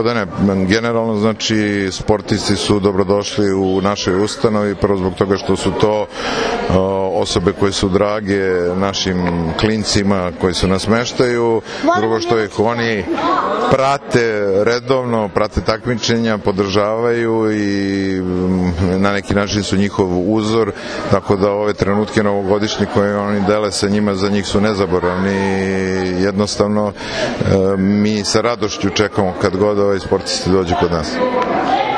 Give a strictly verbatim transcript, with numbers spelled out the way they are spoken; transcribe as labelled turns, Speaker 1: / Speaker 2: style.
Speaker 1: Da ne, generalno znači sportisti su dobrodošli u našoj ustanovi, prvo zbog toga što su to osobe koje su drage našim klincima koji su nas smeštaju, drugo što ih oni prate redovno, prate takmičenja, podržavaju i na neki način su njihov uzor, tako da ove trenutke novogodišnje koje oni dele sa njima, za njih su nezaboravni. Jednostavno mi sa radošću čekamo kad god ovaj sportisti dođu kod nas.